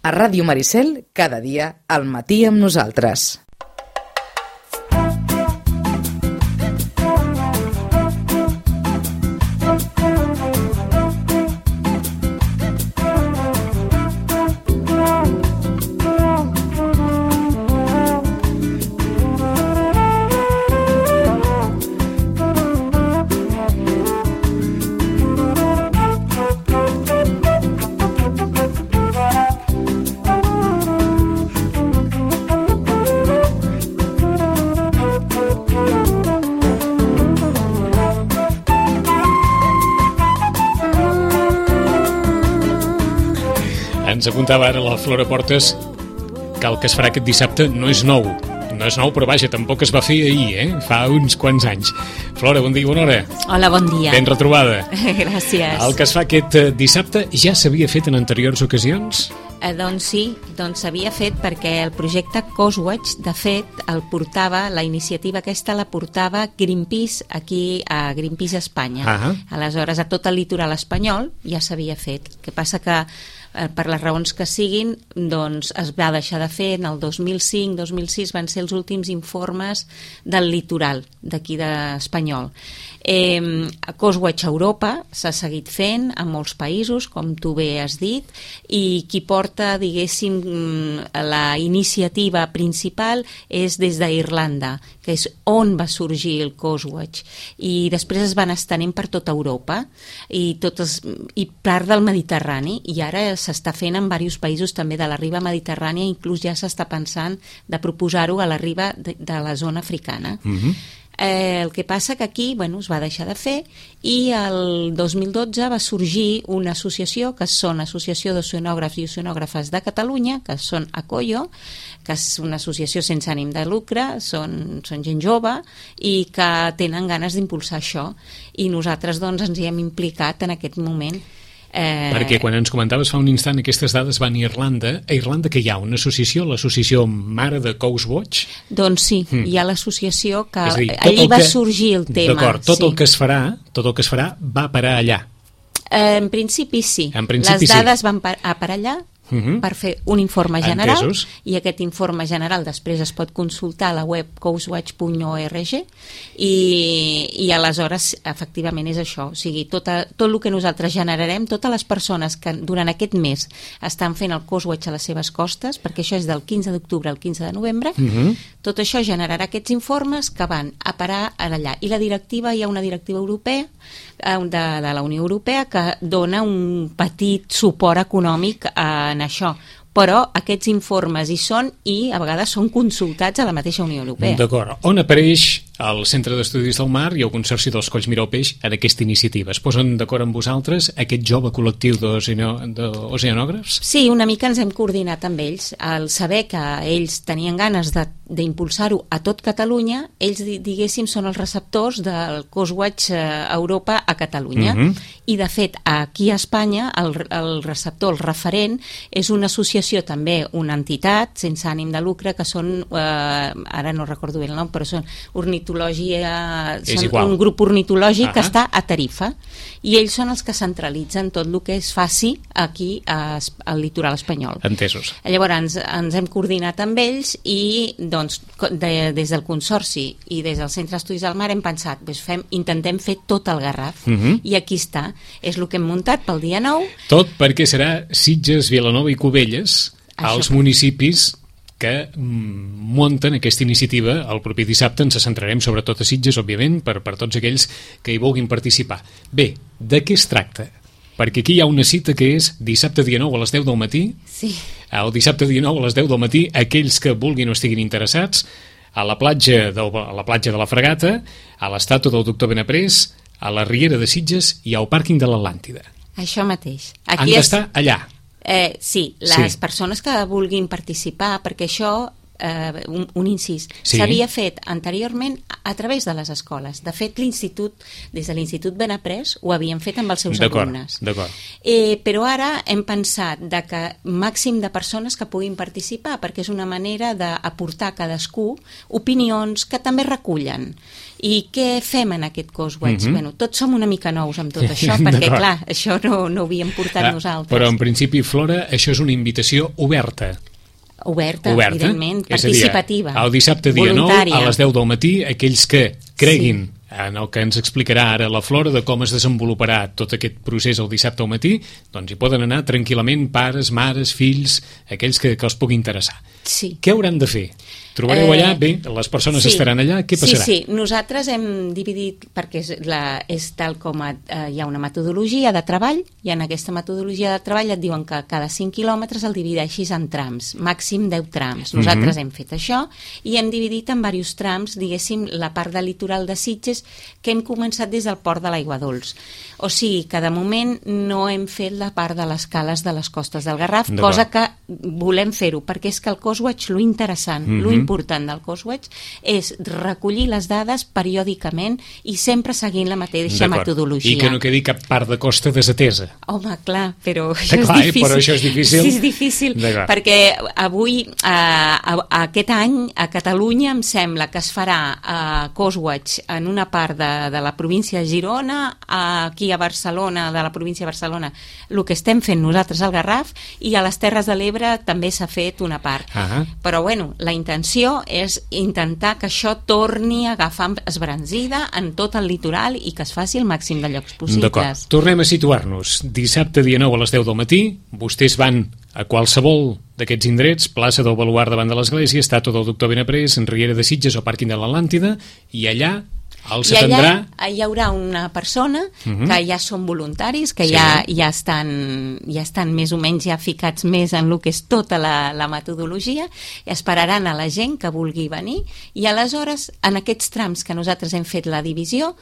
A Ràdio Maricel, cada dia, al matí amb nosaltres. Ens apuntava ara la Flora Portes que el que es farà aquest dissabte no és nou. No és nou, però vaja, tampoc es va fer ahir, fa uns quants anys. Flora, bon dia, bona hora. Hola, bon dia. Ben retrobada. Gràcies. El que es fa aquest dissabte ja s'havia fet en anteriors ocasions? Doncs sí, s'havia fet perquè el projecte Coastwatch, de fet, la iniciativa aquesta la portava Greenpeace aquí a Greenpeace Espanya. Aleshores, a tot el litoral espanyol ja s'havia fet. El que passa que per les raons que siguin, doncs es va deixar de fer. En el 2005-2006 van ser els últims informes del litoral d'aquí d'Espanyol. Coastwatch Europa s'ha seguit fent en molts països, com tu bé has dit, i qui porta, diguéssim, la iniciativa principal és des d'Irlanda, que és on va sorgir el Coastwatch, i després es van estenent per tota Europa i part del Mediterrani, i ara s'està fent en diversos països també de la riba mediterrània, inclús ja s'està pensant de proposar-ho a la riba de la zona africana. El que passa que aquí es va deixar de fer, i el 2012 va sorgir una associació, que són Associació d'Oceanògrafs i Oceanògrafes de Catalunya, que són ACOIO, que és una associació sense ànim de lucre, són gent jove i que tenen ganes d'impulsar això, i nosaltres ens hi hem implicat en aquest moment. Perquè quan ens comentaves fa un instant aquestes dades van a Irlanda que hi ha una associació, l'associació mare de Coastwatch? Doncs sí, hi ha l'associació que allí va sorgir el tema. D'acord, tot el que es farà va parar allà. En principi sí, les dades van a parar allà per fer un informe general. Entesos. I aquest informe general després es pot consultar a la web coastwatch.org i aleshores efectivament és això, o sigui, tot el que nosaltres generarem, totes les persones que durant aquest mes estan fent el Coastwatch a les seves costes, perquè això és del 15 d'octubre al 15 de novembre, tot això generarà aquests informes que van a parar allà. I la directiva, hi ha una directiva europea de la Unió Europea que dona un petit suport econòmic en això, però aquests informes hi són i a vegades són consultats a la mateixa Unió Europea. D'acord. On apareix el Centre d'Estudis del Mar i el Consorci dels Colls Miró Peix en aquesta iniciativa? Es posen d'acord amb vosaltres, aquest jove col·lectiu d'oceanògrafs? Sí, una mica ens hem coordinat amb ells. Al saber que ells tenien ganes d'impulsar-ho a tot Catalunya, ells, diguéssim, són els receptors del Coastwatch Europa a Catalunya. I, de fet, aquí a Espanya, el receptor, el referent, és una associació també, una entitat sense ànim de lucre, que són, ara no recordo bé el nom, però són un grup ornitològic que està a Tarifa, i ells són els que centralitzen tot el que es faci aquí al litoral espanyol. Entesos. Llavors ens hem coordinat amb ells i des del Consorci i des del Centre d'Estudis del Mar hem pensat, intentem fer tot el Garraf, i aquí està, és el que hem muntat pel dia 9. Tot perquè serà Sitges, Vilanova i Cubelles, als municipis que munten aquesta iniciativa. El proper dissabte ens centrarem sobretot a Sitges, òbviament, per tots aquells que hi vulguin participar. Bé, de què es tracta? Perquè aquí hi ha una cita que és dissabte dia 9 a les 10 del matí. Sí. El dissabte dia 9 a les 10 del matí, aquells que vulguin o estiguin interessats, a la platja de la Fregata, a l'estàtua del doctor Benaprés, a la Riera de Sitges i al pàrquing de l'Atlàntida. Això mateix. Han d'estar allà. Sí, les persones que vulguin participar, perquè això un incís. S'havia fet anteriorment a través de les escoles. De fet, des de l'Institut Benaprés ho havien fet amb els seus alumnes. Però ara hem pensat que màxim de persones que puguin participar, perquè és una manera d'aportar cadascú opinions que també recullen. I què fem en aquest Coswatch? Bueno, tots som una mica nous amb tot això, perquè clar, això no ho havíem portat nosaltres. Però en principi, Flora, això és una invitació oberta, evidentment, participativa, el dissabte dia 9 a les 10 del matí, aquells que creguin en el que ens explicarà ara la Flora de com es desenvoluparà tot aquest procés el dissabte al matí, doncs hi poden anar tranquil·lament pares, mares, fills, aquells que els pugui interessar. Què hauran de fer? Trobareu allà, bé, les persones estaran allà, què passarà? Sí, nosaltres hem dividit, perquè és tal com hi ha una metodologia de treball, i en aquesta metodologia de treball et diuen que cada 5 quilòmetres el divideixis en trams, màxim 10 trams. Nosaltres hem fet això i hem dividit en diversos trams, diguéssim, la part del litoral de Sitges, que hem començat des del port de l'Aigua Dols. O sigui que de moment no hem fet la part de les cales de les costes del Garraf, cosa que volem fer-ho, perquè és que el Coswatch, lo interessant, lo important del Coswatch és recollir les dades periòdicament i sempre seguint la mateixa metodologia. I que no quedi cap part de costa desatesa. Home, clar, però això és difícil. Però això és difícil. Sí, és difícil, perquè avui, aquest any, a Catalunya, em sembla que es farà Coswatch en una part de la província de Girona, aquí a Barcelona, de la província de Barcelona, el que estem fent nosaltres al Garraf, i a les Terres de l'Ebre també s'ha fet una part. Però, bueno, la intenció és intentar que això torni a agafar esbranzida en tot el litoral i que es faci el màxim de llocs possibles. D'acord. Tornem a situar-nos. Dissabte, dia 9 a les 10 del matí, vostès van a qualsevol d'aquests indrets, plaça del Baluard davant de l'església, estàtua del doctor Benaprés, en Riera de Sitges o pàrquing de l'Atlàntida, i allà i allà hi haurà una persona que ja són voluntaris, que ja estan més o menys ja ficats més en el que és tota la metodologia, i esperaran a la gent que vulgui venir, i aleshores en aquests trams que nosaltres hem fet la divisió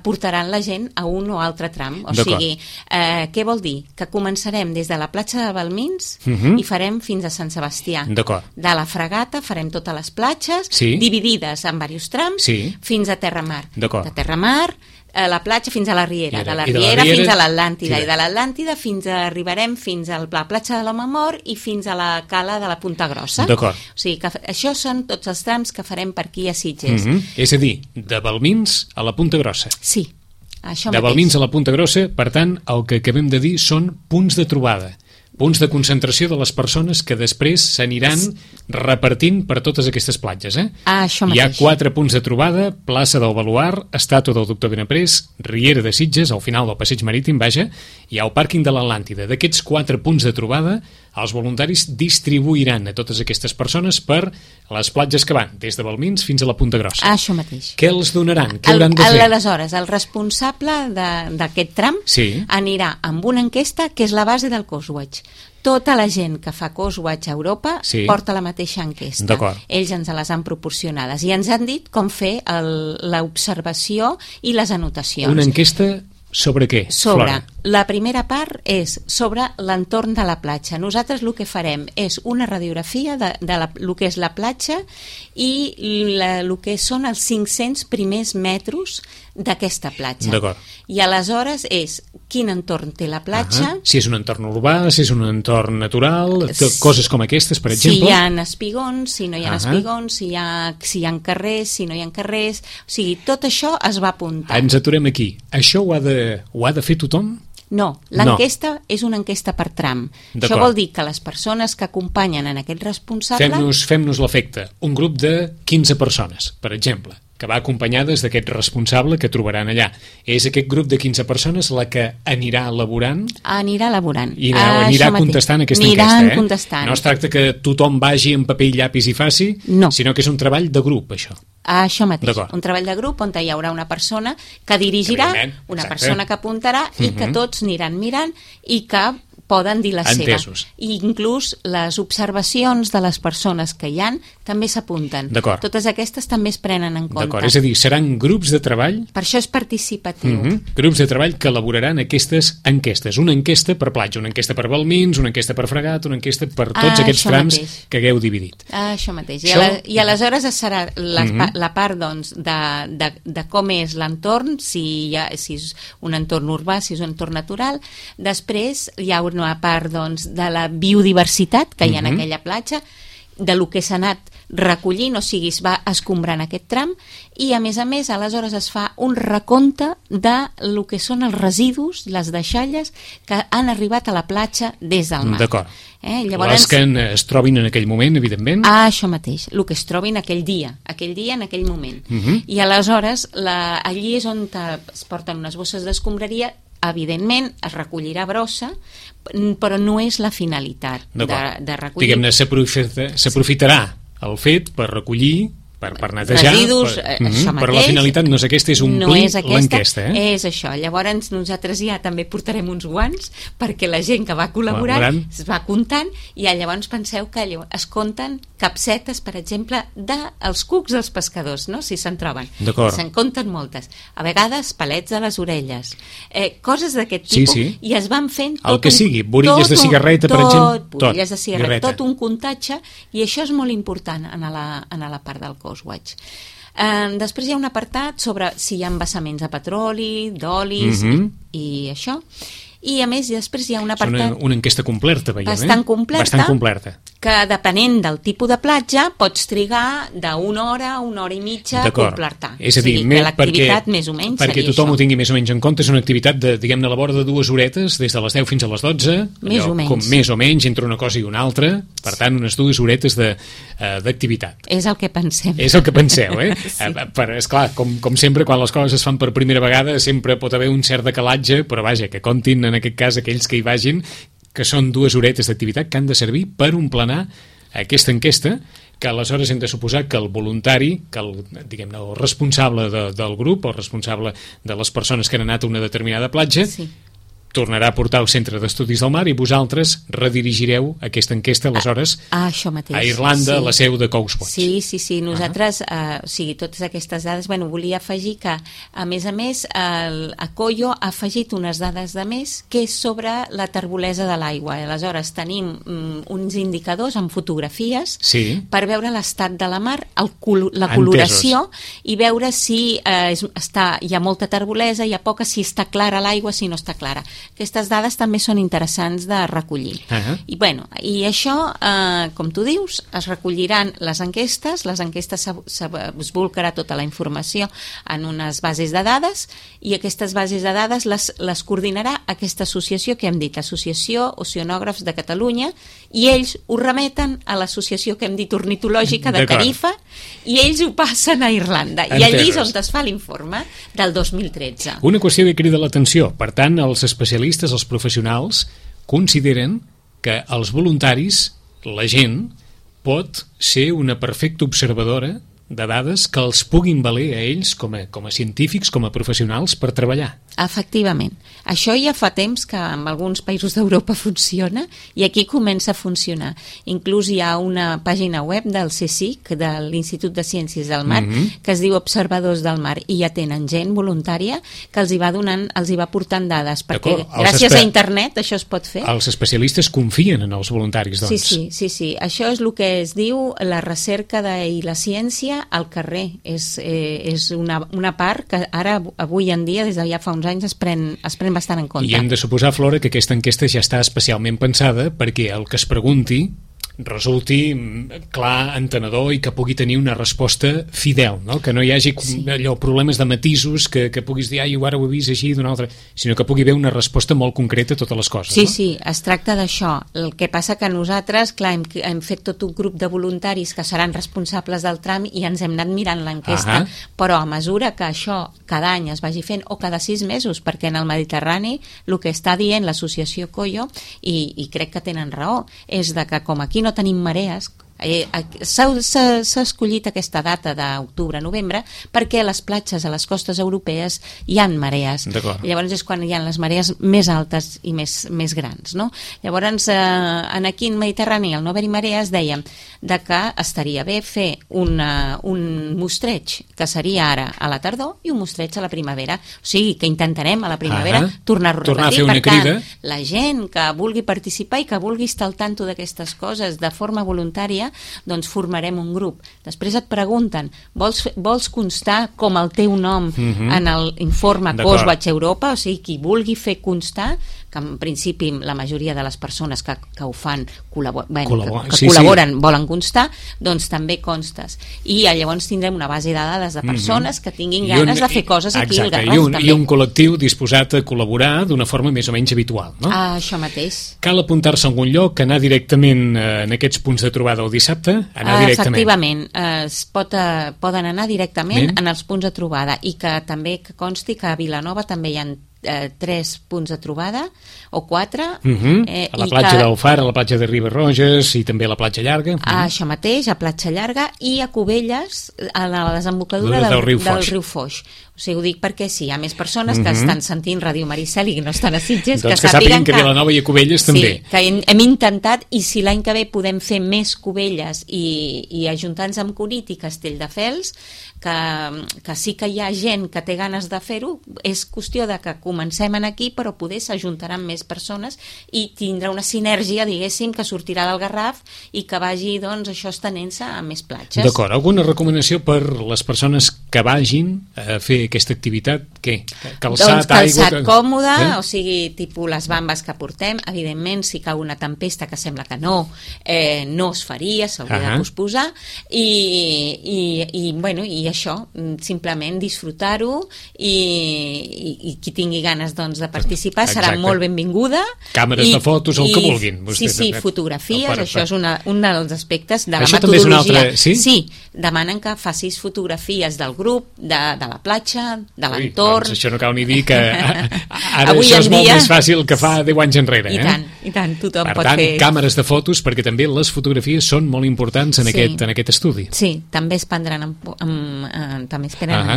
portaran la gent a un o altre tram. O sigui, què vol dir? Que començarem des de la platja de Balmins i farem fins a Sant Sebastià. De la Fragata farem totes les platges dividides en diversos trams fins a Terramar. De Terramar, la platja fins a la Riera, de la Riera fins a l'Atlàntida, i de l'Atlàntida arribarem fins a la platja de l'Home Mort i fins a la cala de la Punta Grossa. O sigui que això són tots els trams que farem per aquí a Sitges. És a dir, de Balmins a la Punta Grossa. Sí, això mateix. De Balmins a la Punta Grossa, per tant, el que acabem de dir són punts de trobada, punts de concentració de les persones que després s'aniran repartint per totes aquestes platges. Hi ha 4 punts de trobada: plaça del Baluard, estàtua del doctor Benaprés, Riera de Sitges, al final del passeig marítim, hi ha el pàrquing de l'Atlàntida. D'aquests 4 punts de trobada, els voluntaris distribuiran a totes aquestes persones per les platges que van des de Balmins fins a la Punta Grossa. Això mateix. Què els donaran? Què hauran de fer? Aleshores, el responsable d'aquest tram anirà amb una enquesta que és la base del Coswatch. Tota la gent que fa Coswatch a Europa porta la mateixa enquesta. Ells ens les han proporcionades i ens han dit com fer l'observació i les anotacions. Una enquesta sobre què, Flora? La primera part és sobre l'entorn de la platja. Nosaltres el que farem és una radiografia de el que és la platja i el que són els 500 primers metres d'aquesta platja. I aleshores és quin entorn té la platja. Si és un entorn urbà, si és un entorn natural, coses com aquestes, per exemple. Si hi ha espigons, si no hi ha espigons, si hi ha carrers, si no hi ha carrers. O sigui, tot això es va apuntar. Ens aturem aquí. Això ho ha de fer tothom? No, l'enquesta és una enquesta per tram. Això vol dir que les persones que acompanyen en aquest responsable... Fem-nos l'efecte. Un grup de 15 persones, per exemple, que va acompanyades d'aquest responsable que trobaran allà. És aquest grup de 15 persones la que anirà elaborant? Anirà elaborant. I anirà contestant aquesta enquesta, contestant. No es tracta que tothom vagi amb paper i llapis i faci, sinó que és un treball de grup, això. Això mateix, un treball de grup on hi haurà una persona que dirigirà, una persona que apuntarà i que tots aniran mirant i que poden dir la Entesos. seva. I inclús les observacions de les persones que hi han també s'apunten. Totes aquestes també es prenen en compte. D'acord, és a dir, seran grups de treball... Per això és participatiu. Grups de treball que elaboraran aquestes enquestes. Una enquesta per platja, una enquesta per Balmins, una enquesta per Fregat, una enquesta per tots aquests trams que hagueu dividit. Això mateix. I aleshores serà la part doncs, de com és l'entorn, si és un entorn urbà, si és un entorn natural. Després hi ha una part doncs, de la biodiversitat que hi ha en aquella platja, de lo que s'ha anat recollint, o sigui, es va escombrant aquest tram, i a més aleshores es fa un recompte de lo que són els residus, les deixalles que han arribat a la platja des del mar. D'acord. Les que es trobin en aquell moment, evidentment. Això mateix, el que es trobin aquell dia, en aquell moment. I aleshores allí és on es porten unes bosses d'escombraria. Evidentment es recollirà brossa, però no és la finalitat de recollir. Diguem-ne, s'aprofitarà el fet per recollir, per netejar, residus, però la finalitat no és aquesta, és omplir l'enquesta. És això. Llavors nosaltres ja també portarem uns guants perquè la gent que va col·laborant es va comptant, i llavors penseu que es compten capsetes, per exemple, dels cucs dels pescadors, no? Si se'n troben. Se'n compten moltes. A vegades palets a les orelles, coses d'aquest tipus, i es van fent el que sigui, borilles de cigarreta, per exemple. Borilles de cigarreta, tot un comptatge, i això és molt important en la part del Coastwatch. Després hi ha un apartat sobre si hi ha embassaments de petroli, d'olis i això. I a més després hi ha un apartat... Una enquesta completa, veiem, bastant completa, que depenent del tipus de platja pots trigar d'una hora a una hora i mitja a completar. És a dir, l'activitat més o menys perquè tothom ho tingui més o menys en compte, és una activitat de, diguem-ne, a la vora de 2 horetes, des de les 10 fins a les 12, més o menys entre una cosa i una altra, per tant, unes 2 horetes d'activitat. És el que pensem. És el que penseu, esclar, com sempre, quan les coses es fan per primera vegada, sempre pot haver un cert decalatge, però vaja, que comptin en aquest cas aquells que hi vagin, que són 2 horetes d'activitat que han de servir per emplenar aquesta enquesta, que aleshores hem de suposar que el voluntari, que el responsable del grup, o responsable de les persones que han anat a una determinada platja, tornarà a portar al Centre d'Estudis del Mar, i vosaltres redirigireu aquesta enquesta aleshores a Irlanda, a la seu de Coastwatch. Sí, nosaltres, totes aquestes dades, volia afegir que, a més, a Coyo ha afegit unes dades de més, que és sobre la terbolesa de l'aigua. Aleshores tenim uns indicadors amb fotografies per veure l'estat de la mar, la coloració, i veure si hi ha molta terbolesa, hi ha poca, si està clara l'aigua, si no està clara. Aquestes dades també són interessants de recollir. I això, com tu dius, es recolliran les enquestes es volcarà tota la informació en unes bases de dades, i aquestes bases de dades les coordinarà aquesta associació que hem dit, Associació Oceanògrafs de Catalunya, i ells ho remeten a l'associació que hem dit ornitològica de Tarifa, i ells ho passen a Irlanda, i allí és on es fa l'informe del 2013. Una qüestió que crida l'atenció, per tant, els especialistes, els professionals, consideren que els voluntaris, la gent, pot ser una perfecta observadora de dades que els puguin valer a ells com a científics, com a professionals, per treballar. Efectivament. Això ja fa temps que en alguns països d'Europa funciona, i aquí comença a funcionar. Inclús hi ha una pàgina web del CSIC, de l'Institut de Ciències del Mar, que es diu Observadors del Mar, i ja tenen gent voluntària que els hi va portant dades, perquè gràcies a internet això es pot fer. Els especialistes confien en els voluntaris, doncs. Sí. Això és el que es diu la recerca i la ciència al carrer. És una part que ara, avui en dia, des de ja fa uns anys, es pren bastant en compte. I hem de suposar, Flora, que aquesta enquesta ja està especialment pensada perquè el que es pregunti resulti clar, entenedor, i que pugui tenir una resposta fidel, no? Que no hi hagi problemes de matisos que puguis dir, ara ho he vist així d'una altra, sinó que pugui haver una resposta molt concreta a totes les coses. Sí, es tracta d'això. El que passa que nosaltres, clar, hem fet tot un grup de voluntaris que seran responsables del tram, i ens hem anat mirant l'enquesta, però a mesura que això cada any es vagi fent, o cada 6 mesos, perquè en el Mediterrani el que està dient l'associació Coyo, i crec que tenen raó, és de que com aquí no tenim marees, S'ha escollit aquesta data d'octubre-novembre perquè a les platges, a les costes europees, hi ha marees. Llavors és quan hi ha les marees més altes i més grans, no? Llavors, aquí en Mediterrani, al no haver-hi marees, dèiem que estaria bé fer un mostreig, que seria ara a la tardor, i un mostreig a la primavera. O sigui, que intentarem a la primavera tornar-ho a repetir. Per tant, la gent que vulgui participar i que vulgui estar al tanto d'aquestes coses de forma voluntària, doncs formarem un grup. Després et pregunten, vols constar com el teu nom en l'informe Coastwatch Europa? O sigui, qui vulgui fer constar, que en principi la majoria de les persones que ho fan col·laboren volen constar, doncs també constes. I llavors tindrem una base de dades de persones que tinguin ganes de fer coses aquí al Garraf també. I un col·lectiu disposat a col·laborar d'una forma més o menys habitual, no? Això mateix. Cal apuntar-se a algun lloc, anar directament en aquests punts de trobada el dissabte? Efectivament, poden anar directament en els punts de trobada, i que també consti que a Vilanova també hi ha 3 punts de trobada o 4 a la platja del Far, a la platja de Riba-roges i també a la platja Llarga. Això mateix, a platja Llarga, i a Cubelles, a la desembocadura del riu Foix. O sigui, ho dic perquè hi ha més persones que estan sentint Ràdio Maricel i que no estan a Sitges, doncs que sàpiguen que Vilanova i a Cubelles també. Sí, que hem intentat, i si l'any que ve podem fer més Cubelles i ajuntar-nos amb Cunit i Castelldefels, que sí que hi ha gent que té ganes de fer-ho, és qüestió de que comencem aquí, però poder s'ajuntaran més persones i tindrà una sinergia, diguéssim, que sortirà del Garraf i que vagi, doncs, això estenent-se a més platges. D'acord. Alguna recomanació per les persones que vagin a fer aquesta activitat? Què? Calçat, calçat còmode, o sigui, tipus les bambes que portem. Evidentment, si cau una tempesta, que sembla que no es faria, s'hauria de posposar, i això, simplement disfrutar-ho, i qui tingui ganes, doncs, de participar serà molt benvinguda. Càmeres de fotos, el que vulguin. Sí, fotografies, això és un dels aspectes de la metodologia. Sí, demanen que facis fotografies del grup, de la platja, de l'entorn. Doncs això no cal ni dir que ara això és molt més fàcil que fa 10 anys enrere. I tant, tothom pot fer. Per tant, càmeres de fotos, perquè també les fotografies són molt importants en aquest estudi. Sí, també es prendran en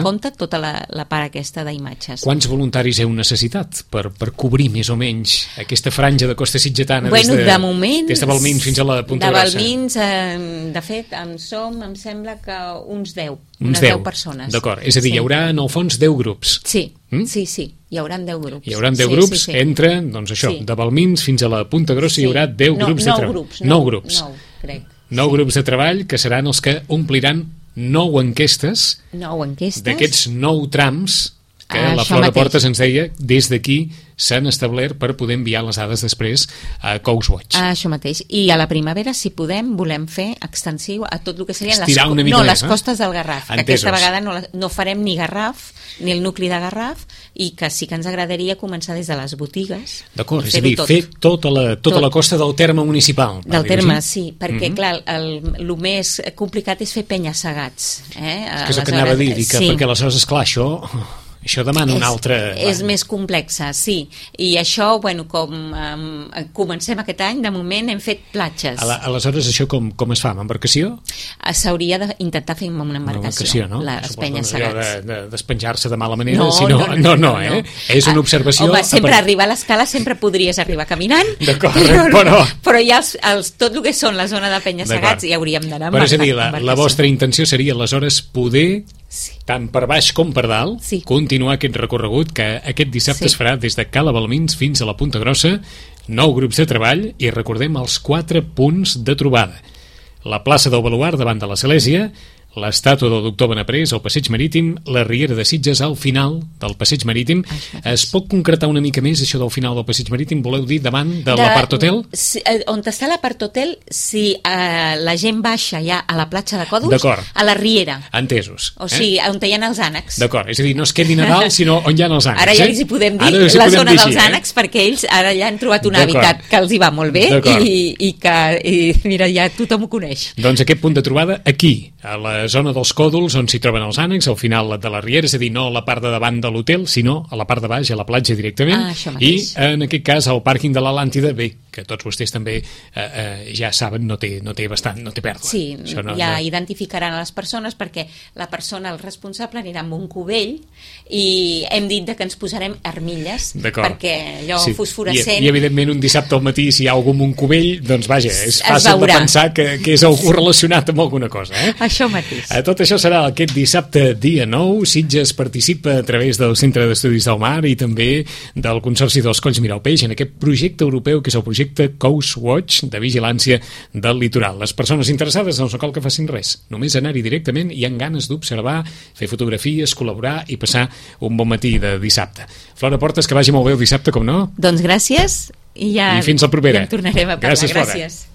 compte tota la part aquesta d'imatges. Quants voluntaris heu necessitat per cobrir més o menys aquesta franja de costa sitgetana de moment, des de Balmins fins a la Punta Grossa? De Balmins, de fet, em sembla que uns 10. Unes 10 persones. D'acord, és a dir, hi haurà en el fons 10 grups. Sí, hi haurà 10 grups. Hi haurà 10 grups entre, doncs això, de Balmins fins a la Punta Grossa hi haurà 10 grups de treball. 9 grups. 9 grups de treball que seran els que ompliran 9 enquestes d'aquests 9 trams que la Flora Portes ens deia des d'aquí s'han establert per poder enviar les dades després a Coastwatch. Això mateix. I a la primavera, si podem, volem fer extensiu a tot el que serien les costes del Garraf. Que aquesta vegada no farem ni Garraf, ni el nucli de Garraf, i que sí que ens agradaria començar des de les botigues. D'acord, és a dir, fer tota la costa del terme municipal. Del terme, sí, perquè, clar, el més complicat és fer penya-segats. És que és el que anava a dir, perquè aleshores, esclar, això demana una altra... És més complexa, sí. I això, com comencem aquest any, de moment hem fet platges. Aleshores, això com es fa? Amb embarcació? S'hauria d'intentar fer amb una embarcació. Les penyes segats. De despenjar-se de mala manera? No. És una observació... Home, sempre arribar a l'escala sempre podries arribar caminant, però ja tot el que són la zona de penyes segats hi hauríem d'anar amb embarcació. Però és a dir, la vostra intenció seria aleshores poder... tant per baix com per dalt, continuar aquest recorregut que aquest dissabte es farà des de Cala Balmins fins a la Punta Grossa, 9 grups de treball i recordem els 4 punts de trobada. La plaça del Baluard davant de l'església, l'estàtua del doctor Benaprés al passeig marítim, la Riera de Sitges al final del passeig marítim. Es pot concretar una mica més això del final del passeig marítim? Voleu dir davant de l'apart hotel? On està l'apart hotel, si la gent baixa ja a la platja de Còdols, a la Riera. Entesos. O sigui, on hi ha els ànecs. D'acord, és a dir, no es quedin a dalt, sinó on hi ha els ànecs. Ara ja els hi podem dir la zona dels ànecs, perquè ells ara ja han trobat un hàbitat que els hi va molt bé i que, mira, ja tothom ho coneix. Doncs aquest punt de trobada aquí, a la zona dels Còdols, on s'hi troben els ànecs, al final de la Riera, és a dir, no a la part de davant de l'hotel, sinó a la part de baix, a la platja directament, i en aquest cas al pàrquing de l'Atlàntida, bé, que tots vostès també ja saben, no té pèrdua. Sí, identificaran a les persones, perquè la persona, el responsable, anirà amb un cubell i hem dit que ens posarem armilles perquè allò fosforescent... I evidentment un dissabte al matí, si hi ha algú amb un cubell, doncs vaja, és fàcil de pensar que és algú relacionat amb alguna cosa. Això mateix. Tot això serà aquest dissabte, dia 9. Sitges participa a través del Centre d'Estudis del Mar i també del Consorci dels Colls Miralpeix en aquest projecte europeu, que és el projecte Coast Watch, de vigilància del litoral. Les persones interessades no cal que facin res, només anar-hi directament i amb ganes d'observar, fer fotografies, col·laborar i passar un bon matí de dissabte. Flora Portes, que vagi molt bé el dissabte, com no? Doncs gràcies i fins la propera. Ja en tornarem a parlar. Gràcies, Flora. Gràcies.